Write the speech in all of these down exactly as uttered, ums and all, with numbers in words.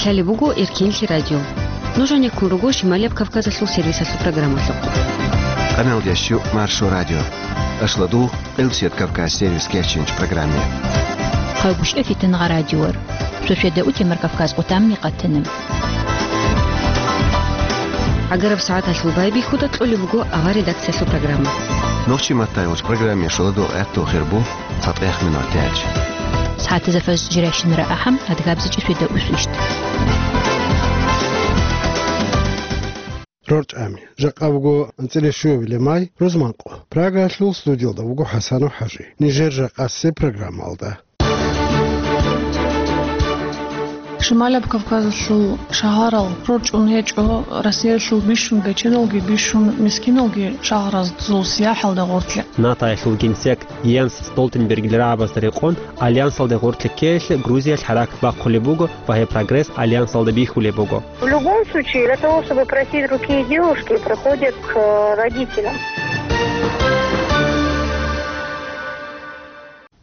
Лъалеб буго Эркенлъи радио. Нуж гьанеккун руго Шималияб Кавказалъул сервисалъул программалъухъ. Къаналдящу Маршо радио. Ашладу Элчет Кавказ сервис кечинч программе. Хъалбушев Фитнагъа радиор. Сосведа утемар Кавказ къутамни къатана. ГӀагараб сагӀаталъул байбихьуда кьолеб буго авар редакциялъул программа. Нохчи маттайулч программе шоладул гӀатту хирбу цатӀех минут тяч. СагӀатазафаз жиращинара ахӀам адгабзичӀи светаусвищ. РорчӀами. Жакъа буго анцӀила щуабилеб май, рузманкъо. Прагаялъул студиялда вуго ХӀасанов ХӀажи. Нижер жакъасеб программалда. Шималаб Кавказалъул шагьарал рорчӀун гьечӀо Россиялъул бищун бечедалги бищун мискиналги шагьаразул сияхӀалда гъоркье. НАТОялъул генсек Йенс Столтенбергил рагӀабазда рекъон, Альянсалде гъоркье ккеялъе Грузиялъ хӀаракат бахъулеб буго ва гьеб прогресс Альянсалда бихьулеб буго. В любом случае, для того, чтобы просить руки девушки, приходят к, э, родителям.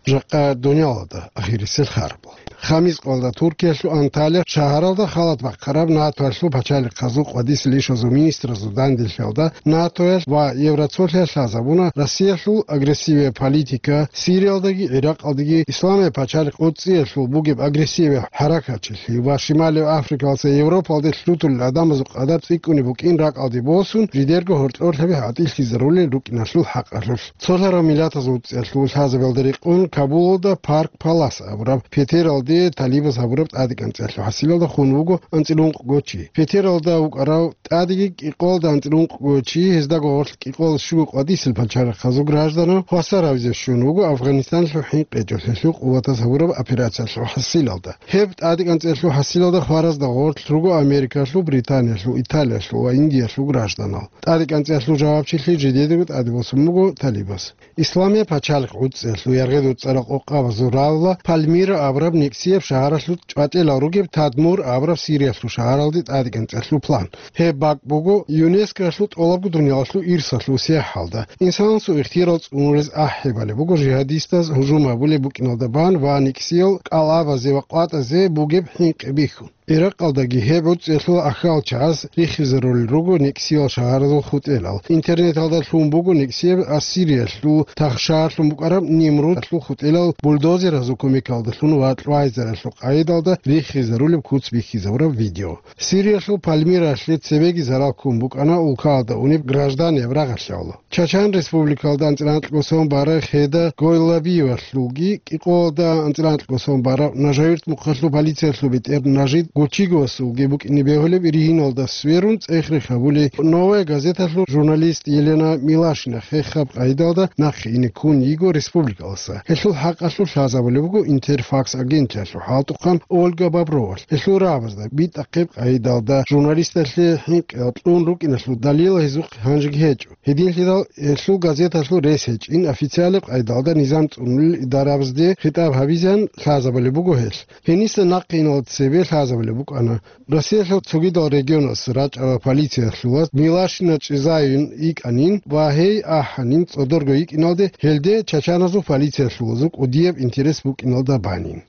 Жакъа дунялалда ахирисел харбал. Хамис къалда Туркиялъул Анталия шагьаралда халат бахъараб НАТОялъул пачалихъазул къвадисел ишазул министразул данделъиялда НАТОялъ ва Евроцолъиялъ лъазабуна Россиялъул агрессивия политика, Сириялдаги ГӀиракъалдаги Исламияб пачалихъ ГӀуцӀиялъул бугеб агрессивия хӀаракатчилъи ва Шималияб Африкалъа Европалде лъутулел гӀадамазул къадар цӀикӀкӀунеб букӀин ракӀалде босун, жидерго гьоркьорлъаби гӀатӀилъизарулел рукӀиналъул хӀакъалъулъ. Цолъарав миллатазул ГӀуцӀиялъул лъазабиялда рекъон Кабулалда Парк Палас абураб петералде талибаз гьабураб тӀадекӀанцӀиялъул хӀасилалда хун вуго анцӀила ункъго чи. Петералда вукӀарав ТӀадеги кӀикъоялда анцӀила ункъго чи, гьездаго гъорлъ кӀикъоялда щуго къвадисел пачалихъазул гражданал хвасар гьавизе щун вуго Афганистаналъул хӀинкъи гьечӀолъиялъул къуватаз гьабураб операциялъул хӀасилалда. Гьеб тӀадекӀанцӀиялъул хӀасилалда хваразда гъорлъ руго Америкалъул, Британиялъул, Италиялъул ва Индиялъул гражданал. ТӀадекӀанцӀиялъул жавабчилъи жидедаго тӀаде босун буго талибаз. Исламияб пачалихъ ГӀуцӀиялъул яргъи-дуцӀарал къокъабазул равла Пальмира абураб никсияб шагьаралъул чӀватӀелал ругеб Тадмур абураб Сириялъул шагьаралде тӀадекӀанцӀиялъул план. Гьеб бакӀ буго ЮНЕСКОялъул тӀолабго дуниялалъул ирсалъул сияхӀалда. Инсанасул ихтияр цӀунулез ахӀи балеб буго жигьадистаз гьужум гьабулеб букӀиналда бан ва никсиял кӀалабазе ва къватӀазе бугеб хӀинкъи бихьун. ГӀиракъалдаги гьеб гӀуцӀиялъул ахьал чагӀаз рихизарулел руго никсиял шагьаразул хутӀелал. Интернеталда лъун буго никсияб Ассириялъул тахшаарлъун букӀараб Нимрудалъул хутӀелал бульдозеразул кумекалдалъун ва кьвайзаралъул къайдалда рихизарулеб куц бихьизабураб видео. Сириялъул Пальмиралъе цебеги зарал ккун букӀана улкаялда унеб гражданиял рагъалъяв. Чачан Республикалда анцӀила анкьго сон барав Хеда Гойлабиевалъулги, кӀикъоялда анцӀила анкьго сон барав Нажавирт мухъалъул полициялъул бетӀер Нажид Гучиговасулги букӀине бегьулеб иригьиналда сверун цӀех-рех гьабулей «Новая газеталъул» журналист Елена Милашина хехаб къайдалда нахъе ине ккун йиго республикаласа. Гьелъул хӀакъалъулъ лъазабулеб буго Интерфакс агенталъул хӀалтӀухъан Ольга Бобровалъ. Гьелъул рагӀабазда битӀахъеб къайдалда журналисталъе хӀинкъи кьун рукӀиналъул далил гьезухъ гьанжеги гьечӀо. Гьединлъидал гьелъул газеталъул рес гьечӀин официалаб къайдалда низам цӀунулел идарабазде хитӀаб гьабизеян лъазабулеб буго гьелъ. Гьениса нахъе иналда цебе лъазабулеб букӀана. Россиялъул цогидал регионалъ рачӀарал полициялъулаз Милашина чӀезаюн йикӀанин ва гьей ахӀанин цӀодорго йикӀиналде, гьелде чачаназул полициялъулазул кӀудияб интерес букӀиналда банин.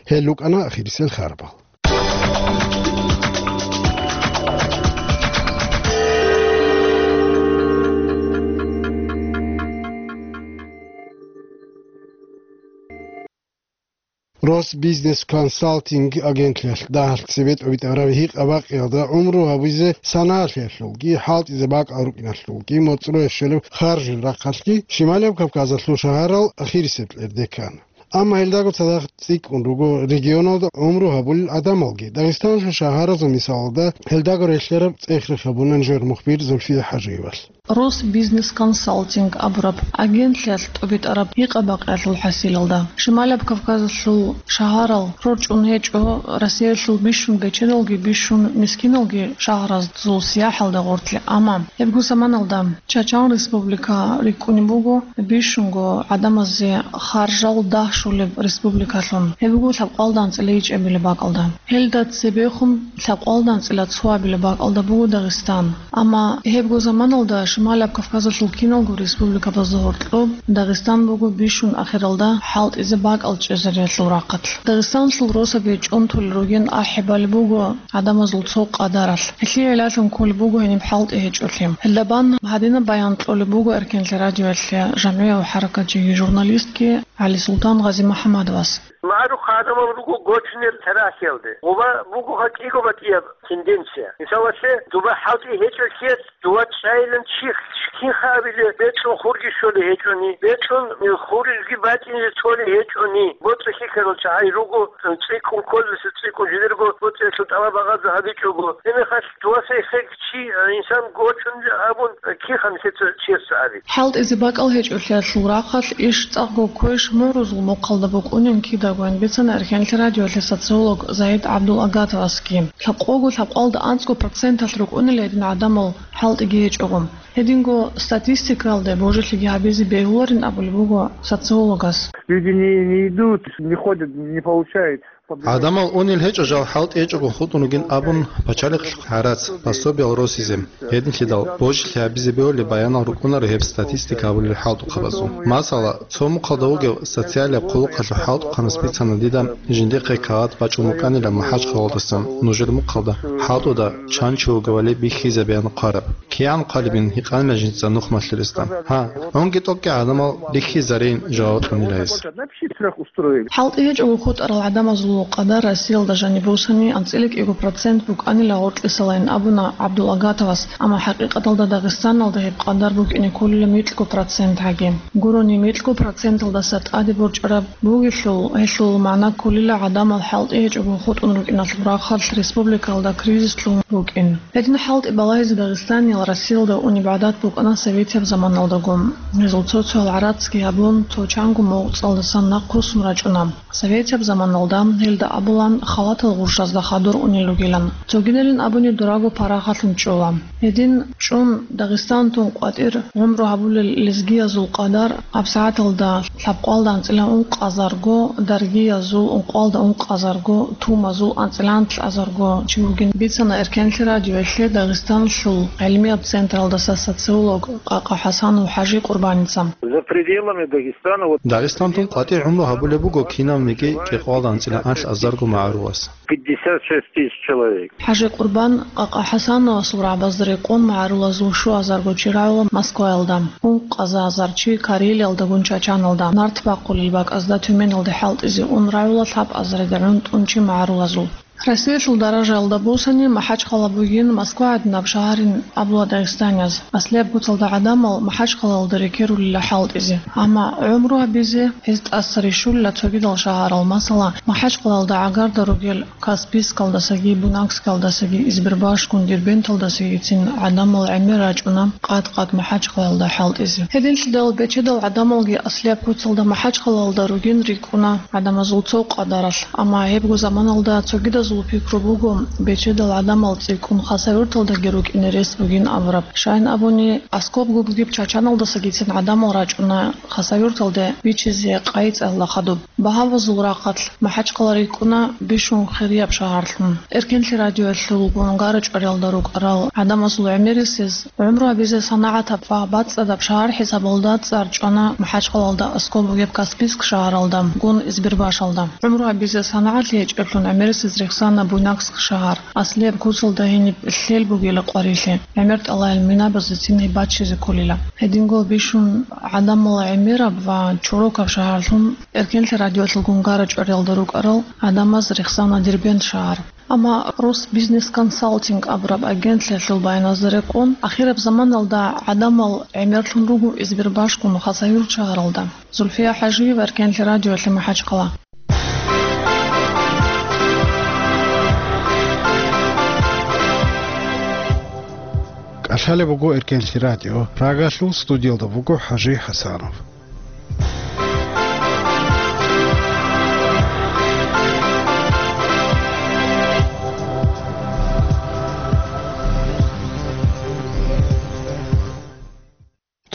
Гьел рукӀана ахирисел харбал. Росбизнес консалтинг агентлъиялъ дагьалъ цебетӀ обитӀараб гьикъа-бакъиялда гӀумру гьабизе санаалъиялъулги, хӀалтӀизе бакӀал рукӀиналъулги, моцӀроящолеб харжил рахъалъги Шималияб Кавказалъул шагьарал ахирисеб кьерде ккана. Амма гьелдаго цадахъ цӀикӀкӀун руго регионалда гӀумру гьабулел гӀадамалги. Дагъистаналъул шагьаразул мисалалда гьелдаго релълъараб цӀех-рех гьабуна нижер мухбир Зульфия ХӀажиевалъ. Росбизнес консалтинг абураб агентлъиялъ тӀубитӀараб гьикъа-бакъиялъул хӀасилалда, Шималаб Кавказалъул шагьарал рорчӀун гьечӀо Россиялъул бищун бечедалги бищун мискиналги шагьаразул сияхӀалда гъоркье, амма гьебго заманалда Чачан Республика рикӀкӀунеб буго бищунго гӀадамазе харжал дагь щолеб республикалъун. Гьеб буго лъабкъоялда анцӀила ичӀабилеб бакӀалда. Гьелда цебехун лъабкъоялда анцӀила цоабилеб бакӀалда буго Дагъистан. Амма гьебго заманалда Шималаб Кавказалъул киналго республикабазда гьоркьоб Дагъистан буго бищун ахиралда хӀалтӀизе бакӀал чӀезариялъул рахъалъ. Дагъистаналъул росаби чӀунтулел ругин ахӀи балеб буго гӀадамазул цо къадаралъ. Гьелъие гӀиллалъун кколеб буго гьениб хӀалтӀи гьечӀолъи. Гьелда бан гьадинаб баян кьолеб буго Эркенлъи радиоялъе жамгӀияв хӀаракатчиги журналистги ГӀалисултан Гъазимухьаммадовас. МагӀарухъ гӀадамал руго гочунел тарихалде. Гъуба буго гьатӀиго батӀияб тенденция. Мисалалъе, дуба хӀалтӀи гьечӀолъиялъ, дуба чӀайилан чи, кинха абилеб, бекьун хурги щолей гьечӀони, бекьун хурги батӀине толей гьечӀони, боцӀи хьихьарал чагӀи руго, цӀикӀкӀун кколеб, цӀикӀкӀун жидерго боцӀиялъул тӀалаб багъазе гьабичӀого. Гьебмехалъ дуаса эхег чи, инсан гочун абун, кинха нилъеца чиясда аби. ХӀалтӀизе бакӀал гьечӀолъиялъул рахъалъ иш цӀакъго кквеш мугӀрузул мухъалда букӀунин кидагойин бицана Эркенлъи радиоялъе социолог Заид ГӀабдулагатовасги. Лъабкъого лъабкъалда анцӀго проценталъ рукӀунел гьедин гӀадамал хӀалтӀиги гьечӀого. Гьединго статистикалде божилъиги гьабизе бегьуларин абулеб буго социологас. Люди не, не идут, не ходят, не получают. ГӀадамал унел гьечӀо жал хӀалтӀи гьечӀого хутӀун ругин абун, пачалихъ гӀарац, пособиял росизе. Гьединлъидал божилъи гьабизе бегьулеб баянал рукӀунаро гьеб статистика абулел хӀалтӀухъабазул. Масала, цо мухъалда вугев социалияб хъулухъалъул хӀалтӀухъанас бицана дида жиндихъе кагъат бачӀун букӀанила МахӀачхъалалдасан нужер мухъалда хӀалтӀуда чан чи вугевали бихьизабеян хъвараб. КигӀан хъвалебин гьикъанила жинца нухмалъи ресда. Гьа, унги тӀокӀги гӀадамал бихьизарейин жаваб кьунила гьес. ХӀалтӀи гьечӀого хутӀарал гӀадамазул къадар Россиялда жаниб бусани анцӀила кӀиго процент букӀанила гъоркьисалайин абуна ГӀабдулагатовас, амма хӀакъикъаталда Дагъистаналда гьеб къадар букӀине кколила микьго процент гьаги. Гурони микьго проценталдаса тӀаде борчӀараб бугелъул, гьелъул магӀна кколила гӀадамал хӀалтӀи гьечӀого хутӀун рукӀиналъул рахъалъ республикаялда кризис лъун рукӀин. Гьедин хӀалтӀи балагьизе Дагъистаниял Россиялда унеб гӀадат букӀана советияб заманалдаго. Гьезул цо-цоял гӀарацги гьабун, цо чанго мугӀцӀалдасан нахъ руссун рачӀуна. Советияб заманалда гьелда абулан халатал гъурщазда хадур унел ругилан. Цогидалин абуни дураго парагьалъун чӀола. Гьедин чӀун Дагъистантун къватӀир гӀумру гьабулел лезгиязул къадар абсагӀаталда лъабкъоялда анцӀила ункъазарго, даргиязул ункъоялда ункъазарго, тумазул анцӀила анлъазарго чи вугин бицана Эркенлъи радиоялъе Дагъистаналъул гӀилмияб централдаса социолог Къакъа ХӀасанов ХӀажи Къурбаница. За пределами Дагестана вот Дагъистантун къватӀир гӀумру гьабулеб буго кинавниги кӀикъоялда анцӀила анлъазарго магӀарулас. Пятьдесят шесть тысяч человек. ХӀажи Къурбан Къакъа ХӀасановасул рагӀабазда рекъон магӀарулазул щуазарго чи рагӀула Москваялда, ункъазазар чи Карелиялдагун Чачаналда, нарт бахъулел бакӀазда Тюменалде хӀалтӀизе ун рагӀула лъабазарида гӀунтӀун чи магӀарулазул. Россиялъул даражаялда бусани МахӀачхъала бугин Москва гӀадинаб шагьарин абула дагъистанияз. Аслияб куцалда гӀадамал МахӀачхъалалда рекерулила хӀалтӀизе. Амма гӀумру гьабизе гьез тӀаса рищулила цогидал шагьарал, масала, МахӀачхъалалда гӀагарда ругел Каспийскалдасаги Буйнакскалдасаги, Избербашгун Дербенталдасагицин гӀадамал гӀемер рачӀуна къад-къад МахӀачхъалалда хӀалтӀизе. Гьединлъидал бечедал гӀадамалги аслияб куцалда МахӀачхъалалда ругин рикӀкӀуна гӀадамазул цо къадаралъ, амма гьебго заманалда цогидазул пикру буго бечедал гӀадамал цӀикӀкӀун Хасавюрталдаги рукӀине рес бугин абураб. Щайин абуни, аскобго бугеб Чачаналдасагицин гӀадамал рачӀуна Хасавюрталде бичизе къайи цӀалла хадуб. Багьавазул рахъалъ МахӀачхъала рикӀкӀуна бищун хирияб шагьарлъун. Эркенлъи радиоялъул гунгара чӀвариялда рукӀарал гӀадамазул гӀемерисез гӀумру гьабизе санагӀатаб ва бацӀцӀадаб шагьар хӀисабалда цӀар чӀвана МахӀачхъалалда аскӀоб бугеб Каспийск шагьаралда, гун Избербашалда. ГӀумру гьабизе санагӀатлъи гьечӀеблъун гӀемерисез рехсана Буйнакск шагьар. Аслияб куцалда гьениб лъел бугила къварилъи, гӀемер тӀалаил минабазецин гьеб баччизе кколила. Гьединго бищун гӀадамал гӀемераб ва чорокаб шагьарлъун Эркенлъи радиоялъул гунгара чӀвариялда рукӀарал гӀадамаз рехсана Дербент шагьар. Амма Росбизнесконсалтинг абураб агентлъиялъул баяназда рекъон, ахираб заманалда гӀадамал гӀемерлъун руго Избербашгун Хасавюрт шагьаралда. Зульфия ХӀажиева, Эркенлъи радиоялъе МахӀачхъала. КӀалъалеб буго Эркенлъи радио, Прагалъул студиялда буго ХӀажи ХӀасанов.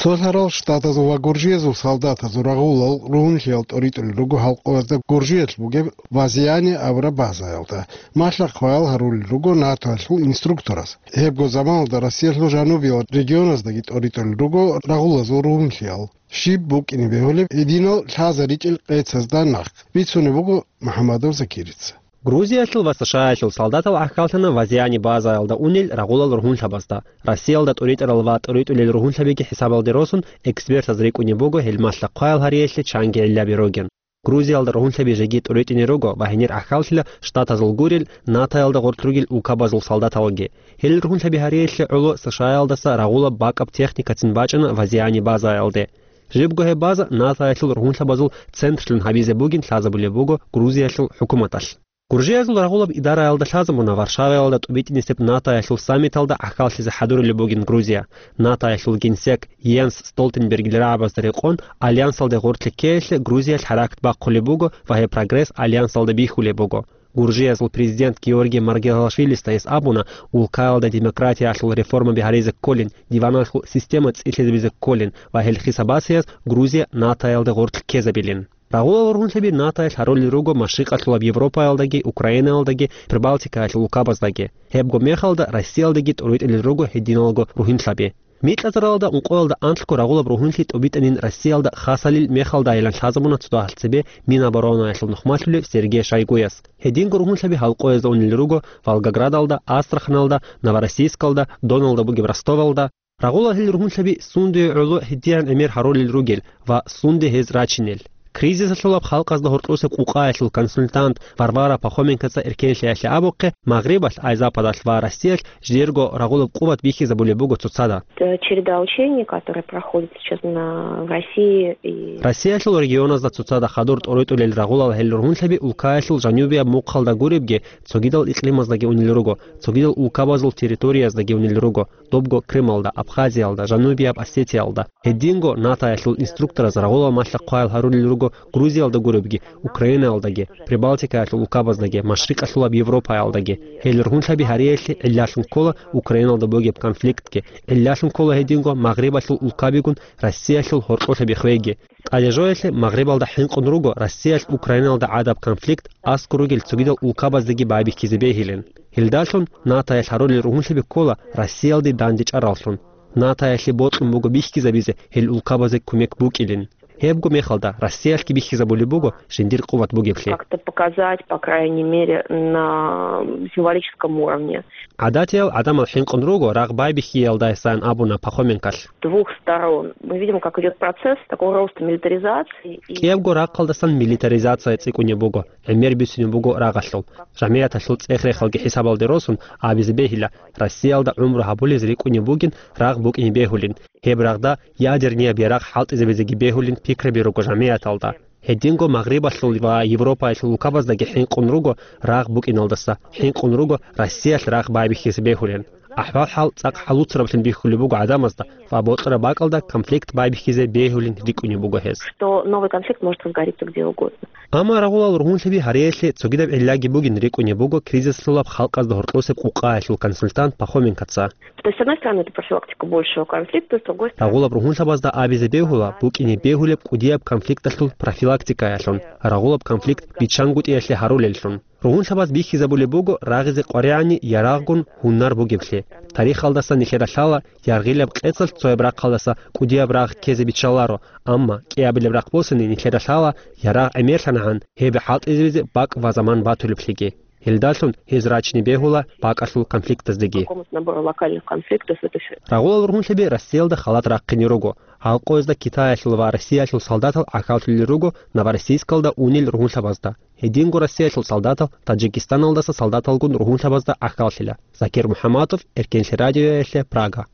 Цолъарал Штатазул ва Гуржиязул солдатазул рагъулал ругьунлъиялда тӀоритӀулел руго гьалкъоязда Гуржиялъ бугеб Вазиани абураб базаялда. Малъа-хъваял гьарулел руго НАТОялъул инструктораз. Гьебго заманалда Россиялъул жанубиял регионаздаги тӀоритӀулел руго рагъулазул ругьунлъиял. Щиб букӀине бегьулеб гьединал лъазаричӀел къецазда нахъ бицунеб буго МухӀаммадов Закирица. Грузиялъул ва СШАялъул солдатал гӀахьаллъана Вазиани базаялда унел рагъулал ругьунлъабазда. Россиялда тӀоритӀарал ва тӀоритӀулел ругьунлъабиги хӀисабалде росун, экспертаз рикӀкӀунеб буго гьел малъа-хъваял гьариялъе чанги гӀиллаби ругин. Грузиялда ругьунлъаби жеги тӀоритӀине руго ва гьенир гӀахьаллъила Штатазул гурел, НАТОялда гъорлъ ругел улкабазул солдаталги. Гьел ругьунлъаби гьариялъе гӀоло СШАялдаса рагъулаб бакӀаб техникацин бачӀана Вазиани базаялде. Жибго гьеб база НАТОялъул ругьунлъабазул центрлъун гьабизе бугин лъазабулеб буго Грузиялъул хӀукуматалъ. Гуржиязул рагъулаб идараялда лъазабуна Варшаваялда тӀубитӀинисеб НАТОялъул саммиталда гӀахьаллъизе хӀадурулеб бугин Грузия. НАТОялъул генсек Йенс Столтенбергил рагӀабазда рекъон, альянсалде гъорлъ ккеялъе Грузия хӀаракат бахъулеб буго ва гьеб прогресс альянсалда бихьулеб буго. Гуржиязул президент Георгий Маргелашвилиста гьес абуна, улкаялда демократиялъул реформаби гьаризе кколин, диваналъул система цӀилъизабизе кколин ва гьел хисабасеяс Грузия НАТОялда гъорлъ ккезабилин. Рагъулал ругьунлъаби НАТОялъ гьарулел руго Машрикъалъулаб Европаялдаги, Украинаялдаги, Прибалтикаялъул улкабаздаги. Гьебго мехалда Россиялдаги тӀоритӀулел руго гьединалго ругьунлъаби. Микьазаралда ункъоялда анлъго рагъулаб ругьунлъи тӀубитӀанин Россиялда хасалил мехалдайилан лъазабуна цо дагьал цебе Миноборонаялъул нухмалъулев Сергей Шойгуяс. Гьединго ругьунлъаби гьалкъоязда унел руго Волгоградалда, Астраханалда, Новороссийскалда, доналда бугеб Ростовалда. Рагъулал гьел ругьунлъаби сундуе гӀоло гьедигӀан гӀемер гьарулел ругел ва сунде гьез рачинел. Кризисалъулаб халкъазда гьоркьосеб къукъаялъул консультант Варвара Пахоменкоца эркенлъиялъе абухъе, Магърибалъ, ай Западалъ ва Россиялъ жидерго рагъулаб къуват бихьизабулеб буго цоцазда. Э, череда учений, которые проходят сейчас на, в России и Россиялъул регионазда цоцазда хадур тӀоритӀулел рагъулал гьел ругьунлъаби улкаялъул жанубияб мухъалда гуребги, цогидал икълимаздаги унел руго, цогидал улкабазул территорияздаги унел руго. Добго Крымалда, Абхазиялда, Жанубияб Осетиялда. Гьединго НАТОялъул инструктораз рагъулал малъа-хъваял гьарулел руго Грузиялда гуребги, Украинаялдаги, Прибалтикаялъул улкабаздаги, Машрикъалъулаб Европаялдаги. Гьел ругьунлъаби гьариялъе гӀиллалъун ккола Украиналда бугеб конфликтги, гӀиллалъун ккола гьединго Магърибалъул улкабигун Россиялъул гьоркьолъаби хвейги. ТӀадежоялъе Магърибалда хӀинкъун руго Россиялъ Украиналда гӀадаб конфликт аскӀор ругел цогидал улкабаздаги байбихьизе бегьилин. Гьелдалъун НАТОялъ гьарулел ругьунлъаби ккола Россиялде дандечӀараллъун. НАТОялъе бокьун буго бихьизабизе гьел улкабазе кумек букӀилин. Гьебго мехалда Россиялъги бихьизабулеб буго жиндир къуват бугеблъи. Как-то показать, по крайней мере, на символическом уровне. ГӀадатиял гӀадамал хӀинкъун руго рагъ байбихьиялдасан абуна Пахоменколъ. Двух сторон. Мы видим, как идёт процесс такого роста милитаризации и КӀиябго рахъалдасан милитаризация цӀикӀкӀунеб буго, гӀемер бицунеб буго рагъалъул. ЖамигӀяталъул цӀех-рехалги хӀисабалде росун абизе бегьила, Россиялда гӀумру гьабулез рикӀкӀунеб бугин рагъ букӀине бегьулин, гьеб рагъда ядернияб ярагъ хӀалтӀизабизеги бегьулин пикраби руго жамигӀяталда. Гьединго Магърибалъул ва Европаялъул улкабаздаги хӀинкъун руго рагъ букӀиналдаса, хӀинкъун руго Россиялъ рагъ байбихьизе бегьулин. АхӀвал-хӀал цӀакъ хӀалуцараблъун бихьулеб буго гӀадамазда ва бокьараб бакӀалда конфликт байбихьизе бегьулин рикӀкӀунеб буго гьез. Что новый конфликт может разгореться где угодно. Амма рагъулал ругьунлъаби гьариялъе цогидаб гӀиллаги бугин рикӀкӀунеб буго кризисалъулаб халкъазда гьоркьосеб къукъаялъул консультант Пахоменкоца. То есть, с одной стороны, это профилактика большего конфликта, с другой стороны... Рагъулаб ругьунлъабазда абизе бегьула букӀине бегьулеб кӀудияб конфликталъул профилактикаялъун, рагъулаб конфликт биччангутӀиялъе гьарулеллъун. Ругьунлъабаз бихьизабулеб буго рагъизе къваригӀани ярагъгун гьунар бугеблъи. Тарихалдаса нилъеда лъала, яргъилаб къецалъ цояб рахъалдаса кӀудияб рагъ ккезе биччаларо, амма кӀиабилеб рахъ босани нилъеда лъала, ярагъ гӀемерлъанагӀан гьеб хӀалтӀизабизе бакӀ ва заман батулеблъиги. Гьелдалъун гьез рачине бегьула бакӀалъул конфликтаздеги. Какому-то набору локальных конфликтов это всё. Рагъулал ругьунлъаби Россиялда халат рахъине руго. Гьалкъоязда Китаялъул ва Россиялъул солдатал гӀахьаллъулел руго Новороссийскалда унел ругьунлъабазда. Гьединго Россиялъул солдатал Таджикистаналдаса солдаталгун ругьунлъабазда гӀахьаллъила. Закир МухӀаммадов, Эркенлъи радиоялъе, Прага.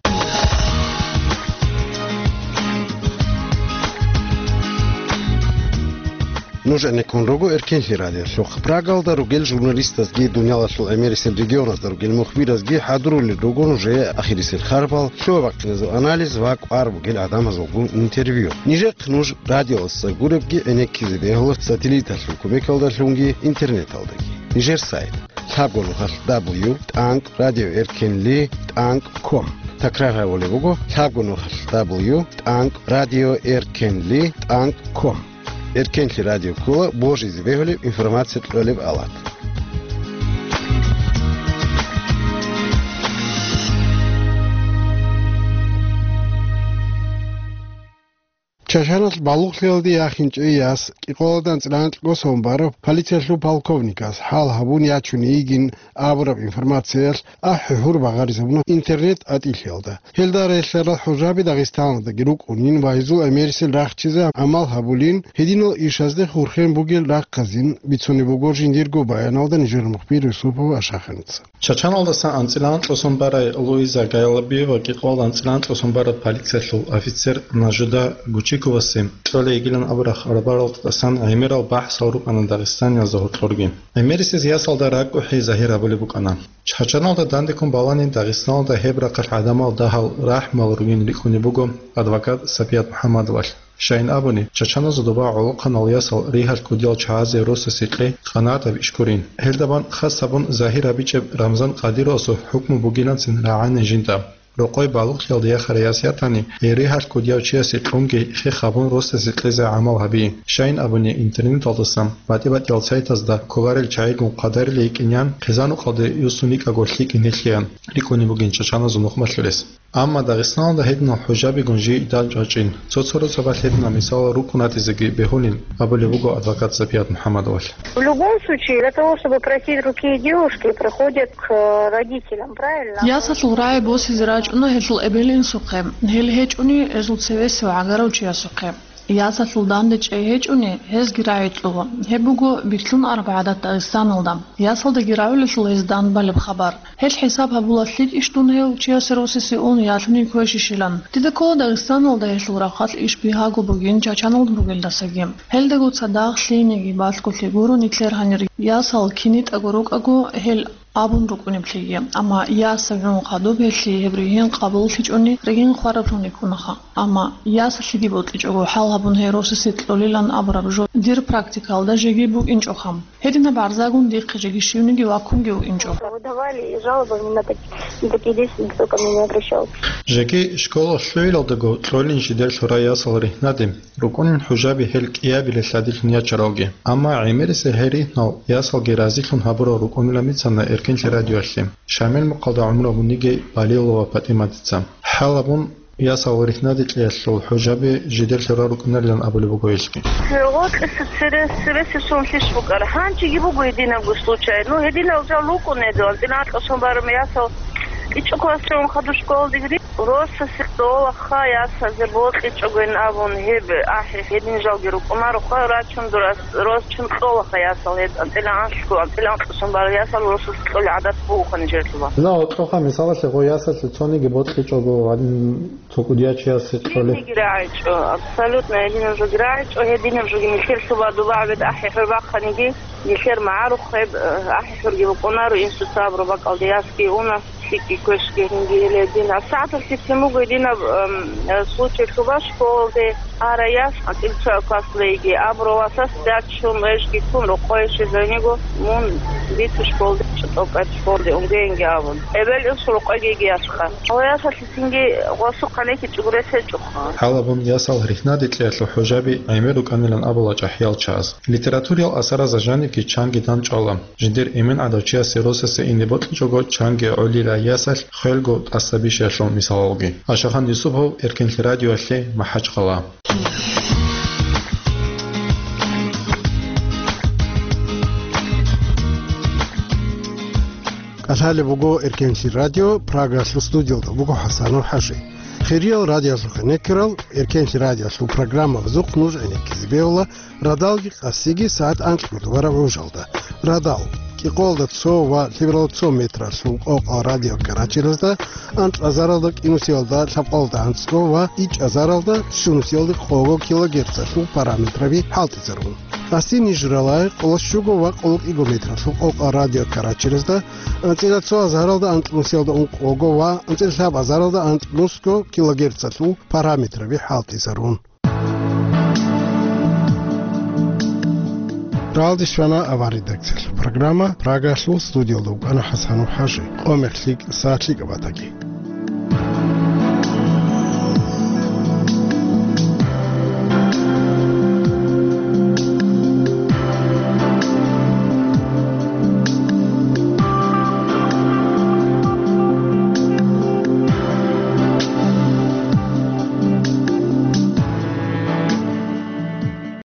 Нуж гӀенеккун руго Эркенлъи радиолъухъ. Прагалда ругел журналистазги дуниялалъул гӀемерисел регионазда ругел мухбиразги хӀадурулел руго нужее ахирисел харбал, лъугьа-бахъиназул анализ ва кӀвар бугел гӀадамазулгун интервью. Нижехъ нуж радиоялдаса гуребги гӀенеккизе бегьула сателлиталъул кумекалдалъунги интернеталдаги. Нижер сайт: лъабго нухалъ дабл ю тӀанкӀ радио эркенли тӀанкӀ ком. Такрар гьабулеб буго, лъабго нухалъ: дабл ю тӀанкӀ радио эркенли тӀанкӀ ком. Эркенлъи радио ккола божизе бегьулеб информация кьолеб алат. Чачаналъ балугълъиялде яхинчӀей яс кӀикъоялда анцӀила анкьго сон бараб полициялъул полковникас хӀал гьабун ячун йигин абураб информациялъ ахӀи-гьур багъаризабуна интернет-тӀатӀилъиялда. Гьелда релълъарал хӀужаби Дагъистаналдаги рукӀунин ва гьезул гӀемерисел рахчизе гӀамал гьабулин, гьединал ишазде хурхен бугел рахъазин бицунеб буго жиндирго баяналда нижер мухбир Юсупов Ашаханица. Чачаналдасан анцӀила анкьго сон барай Луиза Гайлабиева кӀикъоялда анцӀила анкьго сон бараб полициялъул офицер Нажуда Гучиковасе кьолей йигилан абураб хабаралдасан гӀемерал бахӀсал рукӀана дагъистаниязда гьоркьорги. ГӀемерисез ясалда ракӀухӀи загьир гьабулеб букӀана. Чачаналда дандеккун балани, Дагъистаналда гьеб рахъалъ гӀадамал дагьал рахӀмал ругин рикӀкӀунеб буго адвокат Сапият МухӀаммадовалъ. Щайин абуни, чачаназул доба гӀолохъанал ясал ригьалъ ккудиял чагӀазе росасе кьей къанагӀатаб иш гурин. Гьелда бан хас гьабун загьир гьабичӀеб Рамзан Къадировасул хӀукму бугиланцин рагӀанин жинда. Рокъой балугълъиялде яхарай яс ятани, гьей ригьалъ ккудияв чиясе кьунги хех гьабун росасе кьезе гӀамал гьабе. Щайин абуни, интернеталдасан батӀи-батӀиял сайтазда кколарел чагӀигун хъвадарилей йикӀинеян, хъизан-рукъалде юсун йикӀаго лъикӀин гьелъеян рикӀкӀунеб бугин чачаназул нухмалъулес. Амма Дагъистаналда гьединал хӀужабигун жий данчӀвачӀин, цо-цо росабалъ гьединал мисалал рукӀун ратизеги бегьулин абулеб буго адвокат Сапият МухӀаммадовалъ. В любом случае, для того, чтобы просить руки девушки, приходят к родителям, правильно? Ясалъул рагӀи босизе рачӀуна гьелъул эбел-инсухъе, гьел гьечӀони гьезул цевесев гӀагарав чиясухъе. Ясалъул данде чӀей гьечӀони, гьезги рагӀи кьула. Гьеб буго битлъун араб гӀадат Дагъистаналда. Ясалдаги рагӀулелъул гьез данбалеб хабар. Гьел хӀисаб гьабула лъикӀищ дун гьев чиясе росасе ун, ялъуни квешищилан. Дида ккола Дагъистаналда гьелъул рахъалъ иш бигьаго бугин чачаналда бугелдасаги. Гьелдаго цадахъ лъиениги балъголъи гуро нилъер гьанир ясал кинитӀаго рукӀаго гьел абун рукӀунеблъиги. Амма ясав гӀун хадуб гьелъие гьеб ригьин къабуллъичӀони ригьин хвараблъун рикӀкӀунаха. Амма ясалъеги бокьичӀого хӀал гьабун гьей росасе кьолилан абураб жо дир практикалда жеги букӀинчӀоха. Гьединаб гӀарзагун дихъе жеги щивниги ваккунги вукӀинчӀо. Выдавали и жалобами на так-, на такие действия никто ко мне не обращался. Жеги школа лъугӀиналдаго кьолин жидер лъурай ясал ригьнаде, рукӀунин хӀужаби гьел кӀиабилелъ гьадилъун ячаралги. Амма гӀемерисел гьей ригьнал ясалги разилъун гьабурал рукӀунилан бицана Эркенлъи радиоялъе Шамил мухъалда гӀумру гьабун йигей Балилова ПатӀиматица. ХӀал гьабун, ясал ригьнаде кьеялъул хӀужаби жидер лъурал рукӀунарилан абулеб буго гьелъги. Гъоркьиса цере, цересеб сон лъищ букӀара. Гьанжеги буго гьединабго случай. Ну, гьединал жал рукӀун гьедин, анцӀила анкьго сон бараб ясал ичӀо классчо ун хадуб школадеги. Росасе кьолаха ясазе бокьичӀогойин абун гьеб ахӀи гьедин жалги рукӀунароха, рачун дурас рос чун кьолаха ясал гьед анцӀила анлъго, анцӀила анкьго сон бараб ясал росасе кьолеб гӀадат бугоха нижерлъуба. Дила гьоркьоха мисалалъе гъо ясалъе цониги бокьичӀого гьадин цо кӀудияв чиясе кколеб. Гьединги рагӀичӀо, абсолютно гьединаб жоги рагӀичӀо, гьединаб жоги нилъер лъуба дуба гӀебед ахӀи-хӀур бахъаниги, нилъер магӀарухъеб, э, ахӀи-хӀурги букӀунаро, инсуца абураб бакӀалде ясги уна, лъикӀги квешги гьинги гьеле гьедин. АсагӀаталъ лъицин буго гьединаб, эм, э, случай лъуба школалде арай яс, анцӀила цо классалда йигей, абурав васас дачун, вежги ккун, рокъое щвезаниго, мун бицу школалде, чӀотӀокӀаб школалде унгеинги абун. Эбел-инсул рокъойги йигей ясха. Гьав ясалъ Цинги гъосухъа нехичӀого рес гьечӀоха. ХӀал гьабун, ясал ригьнаде кьеялъул хӀужаби гӀемер рукӀанилан абула чӀахӀиял чагӀаз. Литературиял асаразда жанибги чанги дандчӀвала. Жиндир эмен гӀадав чиясе росасе ине бокьичӀого чанги гӀолила ясалъ хвелго тӀаса бищаялъул мисалалги. Ашахан Юсупов, Эркенлъи радиоялъе, МахӀачхъала. КӀалъалеб буго Эркенлъи радио, Прагалъул студиялда буго ХӀасанов ХӀажи. Хириял радиоялъухъе некерал, Эркенлъи радиоялъул программабазухъ нуж гӀенеккизе бегьула радалги къасиги сагӀат анкьго тӀубараб гӀужалда. Радал, кӀикъоялда цо ва лъебералда цо метралъул къокъал радиокарачелазда, анкьа азаралда кӀинусиялда лъабкъоялда анцӀго ва ичӀ азаралда щунусиялда къого килогерцалъул параметраби хӀалтӀизарун. Гьасие ниж ралагье къоло щуго ва къоло кӀиго метралъул къокъал радиокарачелазда, анцӀила цо азаралда анцӀнусиялда ункъого ва анцӀила лъаб азаралда анцӀнусго килогерцалъул параметраби хӀалтӀизарун. Ралдис щвана аван редакциялъул программа, Прагалъул студиялда вукӀана ХӀасанов ХӀажи. Къо-мех лъикӀ, сагӀат лъикӀаб батаги.